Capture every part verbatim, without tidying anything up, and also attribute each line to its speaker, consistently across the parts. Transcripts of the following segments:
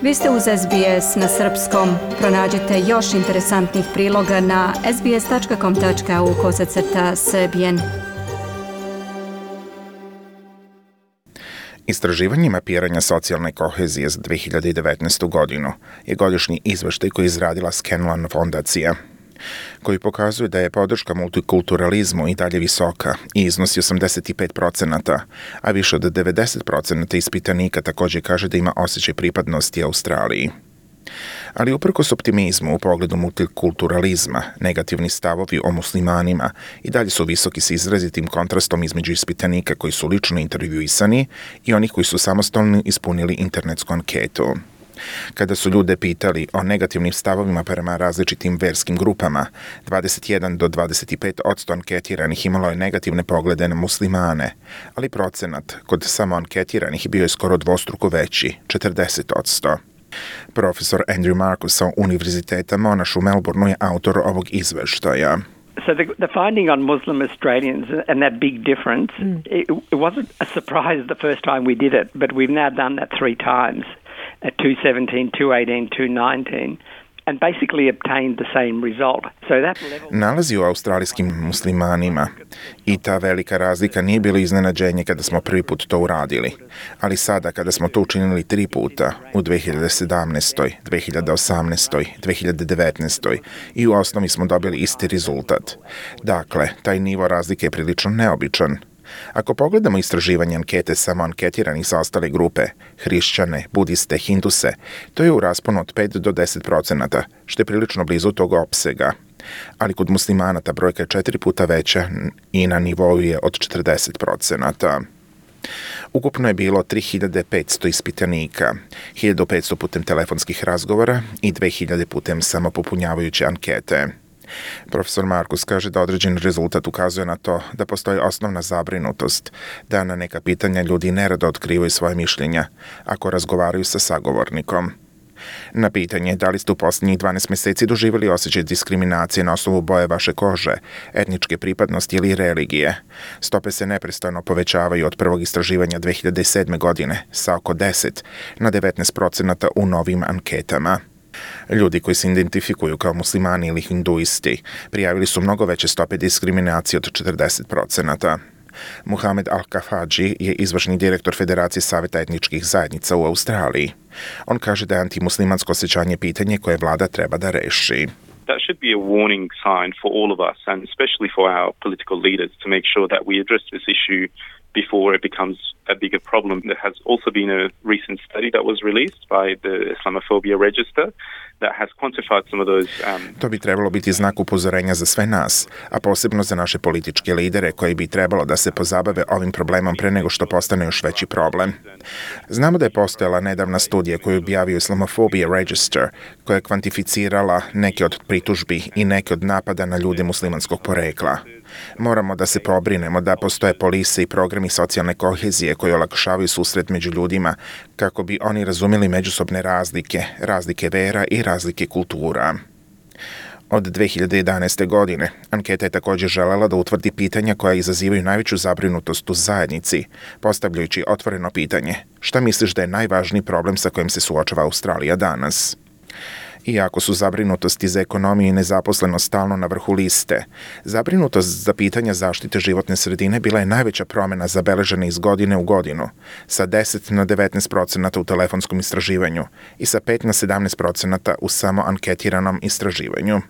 Speaker 1: Vi ste uz S B S na srpskom. Pronađite još interesantnih priloga na sbs.com.au kosacrta srbijen.
Speaker 2: Istraživanje mapiranja socijalne kohezije za dve hiljade devetnaestu. godinu je godišnji izveštaj koji je izradila Scanlon fondacija, koji pokazuje da je podrška multikulturalizmu i dalje visoka i iznosi osamdeset pet procenata, a više od devedeset procenata ispitanika također kaže da ima osjećaj pripadnosti Australiji. Ali uprkos optimizmu u pogledu multikulturalizma, negativni stavovi o muslimanima i dalje su visoki s izrazitim kontrastom između ispitanika koji su lično intervjuisani i onih koji su samostalno ispunili internetsku anketu. Kada su ljude pitali o negativnim stavovima prema različitim verskim grupama, dvadeset jedan do dvadeset pet posto anketiranih imalo je negativne poglede na muslimane, ali procenat kod samo anketiranih bio je skoro dvostruko veći, četrdeset posto. Profesor Andrew Marcus sa Univerziteta Monash u Melbourneu je autor ovog izveštaja.
Speaker 3: So the, the finding on Muslim Australians and that big difference, mm. it, it wasn't a surprise the first time we did it, but we've now done that three times. At two seventeen, two eighteen, two nineteen, and basically obtained the same result. So that level... Nalazi u australijskim muslimanima i ta velika razlika nije bilo iznenađenje kada smo prvi put to uradili, ali sada kada smo to učinili tri puta u dve hiljade sedamnaestoj, dve hiljade osamnaestoj, dve hiljade devetnaestoj i u osnovi smo dobili isti rezultat. Dakle, taj nivo razlike je prilično neobičan. Ako pogledamo istraživanje ankete samo anketiranih za ostale grupe, hrišćane, budiste, hinduse, to je u rasponu od pet do deset procenata, što je prilično blizu tog opsega. Ali kod muslimana ta brojka je četiri puta veća i na nivou je od četrdeset procenata. Ukupno je bilo tri hiljade petsto ispitanika, hiljadu petsto putem telefonskih razgovora i dve hiljade putem samopopunjavajuće ankete. Profesor Marcus kaže da određen rezultat ukazuje na to da postoji osnovna zabrinutost, da na neka pitanja ljudi nerado otkrivaju svoje mišljenja ako razgovaraju sa sagovornikom. Na pitanje da li ste u posljednjih dvanaest mjeseci doživjeli osjećaj diskriminacije na osnovu boje vaše kože, etničke pripadnosti ili religije, stope se neprestano povećavaju od prvog istraživanja dve hiljade sedme. godine sa oko deset na devetnaest procenata u novim anketama. Ljudi koji se identifikuju kao muslimani ili hinduisti prijavili su mnogo veće stope diskriminacije od četrdeset procenata. Muhamed Al-Kafaji je izvršni direktor Federacije saveta etničkih zajednica u Australiji. On kaže da je antimuslimansko osjećanje pitanje koje vlada treba da reši.
Speaker 4: That should be a warning sign for all of us and especially for our political leaders to make sure that we address this issue before it becomes a bigger problem. There has also been a recent study that was released by the Islamophobia Register that has quantified some of those... Um...
Speaker 2: To bi trebalo biti znak upozorenja za sve nas, a posebno za naše političke lidere koji bi trebalo da se pozabave ovim problemom pre nego što postane još veći problem. Znamo da je postojala nedavna studija koju je objavio Islamophobia Register koja je kvantificirala neke od pritužbi i neke od napada na ljude muslimanskog porekla. Moramo da se pobrinemo da postoje polise i programi socijalne kohezije koji olakšavaju susret među ljudima kako bi oni razumjeli međusobne razlike, razlike vera i razlike kultura. Od dve hiljade jedanaeste. godine anketa je također želela da utvrdi pitanja koja izazivaju najveću zabrinutost u zajednici, postavljajući otvoreno pitanje: šta misliš da je najvažniji problem sa kojim se suočava Australija danas? Iako su zabrinutosti za ekonomiju i nezaposlenost stalno na vrhu liste, zabrinutost za pitanja zaštite životne sredine bila je najveća promjena zabeležena iz godine u godinu, sa deset na devetnaest procenata u telefonskom istraživanju i sa pet na sedamnaest procenata u samo anketiranom istraživanju.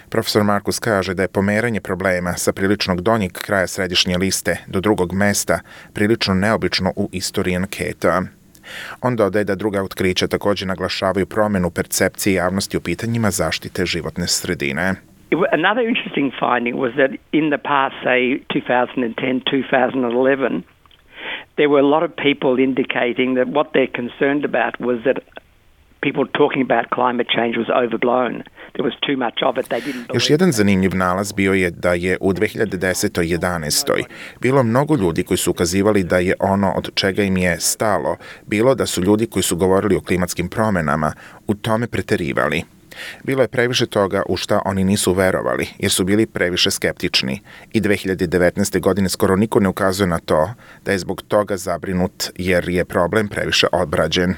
Speaker 2: Profesor Marcus kaže da je pomeranje problema sa priličnog donjeg kraja središnje liste do drugog mesta prilično neobično u istoriji anketa. On dodaje da druga otkrića također naglašavaju promjenu percepcije javnosti u pitanjima zaštite životne sredine.
Speaker 3: Another interesting finding was that in the past, say twenty ten, twenty eleven, there were a lot of people indicating that what they're concerned about was that people talking about climate change was overblown. There was too much of it. They didn't believe.
Speaker 2: Još jedan zanimljiv nalaz bio je da je u dve hiljade desetoj. jedanaestoj. bilo mnogo ljudi koji su ukazivali da je ono od čega im je stalo bilo da su ljudi koji su govorili o klimatskim promjenama u tome preterivali. Bilo je previše toga u šta oni nisu verovali, jer su bili previše skeptični. I dve hiljade devetnaeste. godine skoro niko ne ukazuje na to da je zbog toga zabrinut jer je problem previše obrađen.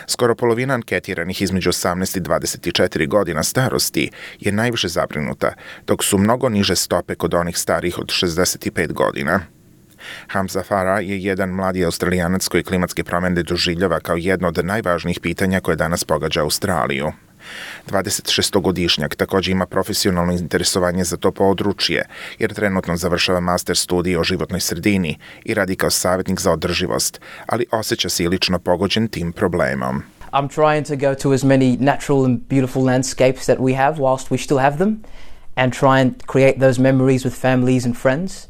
Speaker 2: Skoro polovina anketiranih između osamnaest i dvadeset četiri godina starosti je najviše zabrinuta, dok su mnogo niže stope kod onih starijih od šezdeset pet godina. Hamza Farah je jedan mladi Australijanac koji klimatske promjene doživljava kao jedno od najvažnijih pitanja koje danas pogađa Australiju. dvadesetšestogodišnjak također ima profesionalno interesovanje za to područje, jer trenutno završava master studij o životnoj sredini i radi kao savjetnik za održivost, ali osjeća se i lično pogođen tim problemom.
Speaker 5: I'm trying to go to as many natural and beautiful landscapes that we have whilst we still have them and try and create those memories with families and friends.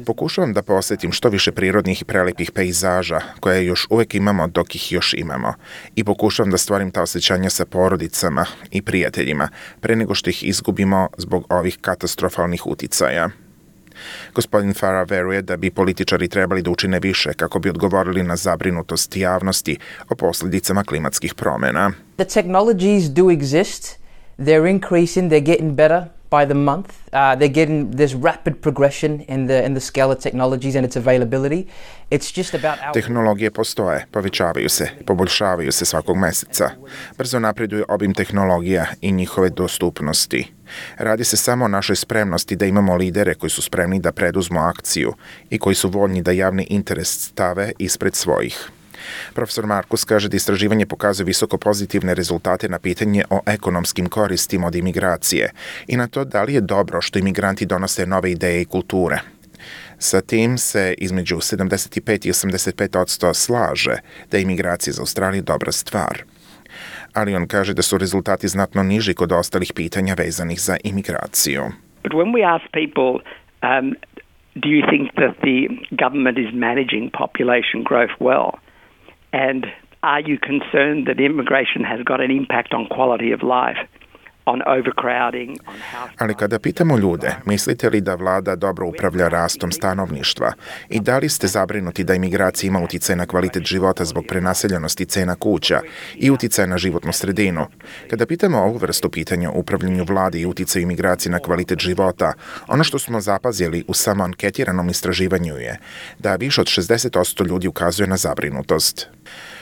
Speaker 2: Pokušavam da posjetim što više prirodnih i prelepih pejzaža koje još uvijek imamo dok ih još imamo i pokušavam da stvorim ta osjećanja sa porodicama i prijateljima pre nego što ih izgubimo zbog ovih katastrofalnih uticaja. Gospodin Farah veruje da bi političari trebali da učine više kako bi odgovorili na zabrinutost javnosti o posljedicama klimatskih promjena.
Speaker 5: The technologies do exist. They're increasing, they're getting better by the month. Uh, they're getting this rapid progression in the in the scale of technologies and its availability. It's just about our...
Speaker 2: Tehnologije postoje, povećavaju se, poboljšavaju se svakog meseca. Brzo napreduje obim tehnologija i njihove dostupnosti. Radi se samo o našoj spremnosti da imamo lidere koji su spremni da preduzmu akciju i koji su voljni da javni interes stave ispred svojih. Profesor Markus kaže da istraživanje pokazuje visoko pozitivne rezultate na pitanje o ekonomskim koristima od imigracije i na to da li je dobro što imigranti donose nove ideje i kulture. Sa tim se između sedamdeset pet i osamdeset pet posto slaže da je imigracija za Australiju dobra stvar. Ali on kaže da su rezultati znatno niži kod ostalih pitanja vezanih za imigraciju.
Speaker 3: But when we ask people, um, do you think that the government is managing population growth well? And are you concerned that immigration has got an impact on quality of life, on overcrowding, on house...
Speaker 2: Ali kada pitamo ljude, mislite li da vlada dobro upravlja rastom stanovništva i da li ste zabrinuti da imigracija ima uticaj na kvalitet života zbog prenaseljenosti cena kuća i uticaj na životnu sredinu? Kada pitamo ovu vrstu pitanja o upravljanju vlade i uticaju imigracije na kvalitet života, ono što smo zapazili u samo anketiranom istraživanju je da više od šezdeset posto ljudi ukazuje na zabrinutost.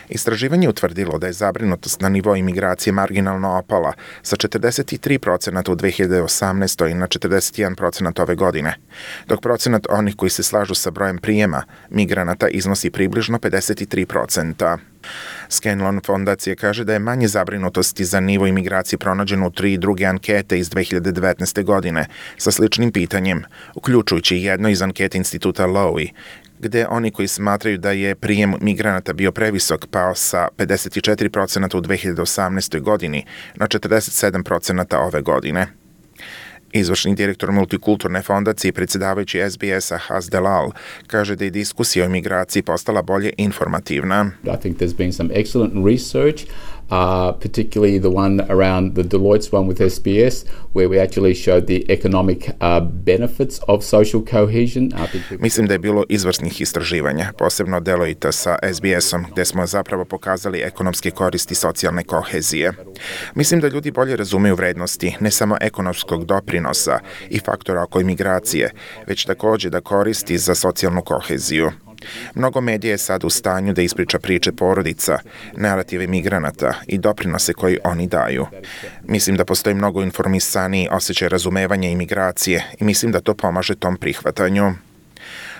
Speaker 2: Istraživanje je utvrdilo da je zabrinutost na nivou imigracije marginalno opala sa četrdeset tri procenta u dve hiljade osamnaestoj na četrdeset jedan procent ove godine, dok procenat onih koji se slažu sa brojem prijema migranata iznosi približno pedeset tri procenta. Scanlon fondacija kaže da je manje zabrinutosti za nivo imigracije pronađeno u tri druge ankete iz dve hiljade devetnaeste godine sa sličnim pitanjem, uključujući jedno iz ankete instituta Lowy, gde oni koji smatraju da je prijem migranata bio previsok pao sa pedeset četiri procenta u dve hiljade osamnaestoj godini na četrdeset sedam procenta ove godine. Izvršni direktor multikulturne fondacije i predsjedavajući S B S-a Haz Delal kaže da je diskusija o imigraciji postala bolje informativna.
Speaker 6: I think there's been some excellent research, uh, particularly the one around the Deloitte's one with S B S, where we actually showed the economic uh, benefits of social cohesion. Uh,
Speaker 2: Mislim da je bilo izvrsnih istraživanja, posebno Deloitte sa S B S-om, gde smo zapravo pokazali ekonomske koristi socijalne kohezije. Mislim da ljudi bolje razumeju vrednosti ne samo ekonomskog doprinosa i faktora oko imigracije, već također da koristi za socijalnu koheziju. Mnogo medija je sad u stanju da ispriča priče porodica, narative migranata i doprinose koji oni daju. Mislim da postoji mnogo informisaniji osjećaj razumevanja imigracije i mislim da to pomaže tom prihvatanju.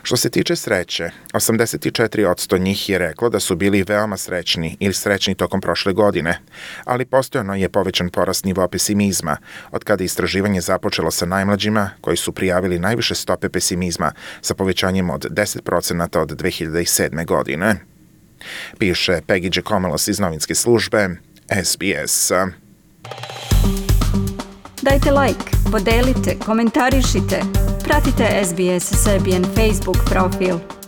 Speaker 2: Što se tiče sreće, osamdeset četiri posto njih je reklo da su bili veoma srećni ili srećni tokom prošle godine, ali postojano je povećan porast nivoa pesimizma od kada je istraživanje započelo sa najmlađima koji su prijavili najviše stope pesimizma sa povećanjem od deset procenta od dve hiljade sedme. godine. Piše Peggy Giacomelos iz novinske službe S B S.
Speaker 1: Dajte like, podelite, komentarišite. Pratite S B S Serbian Facebook profil.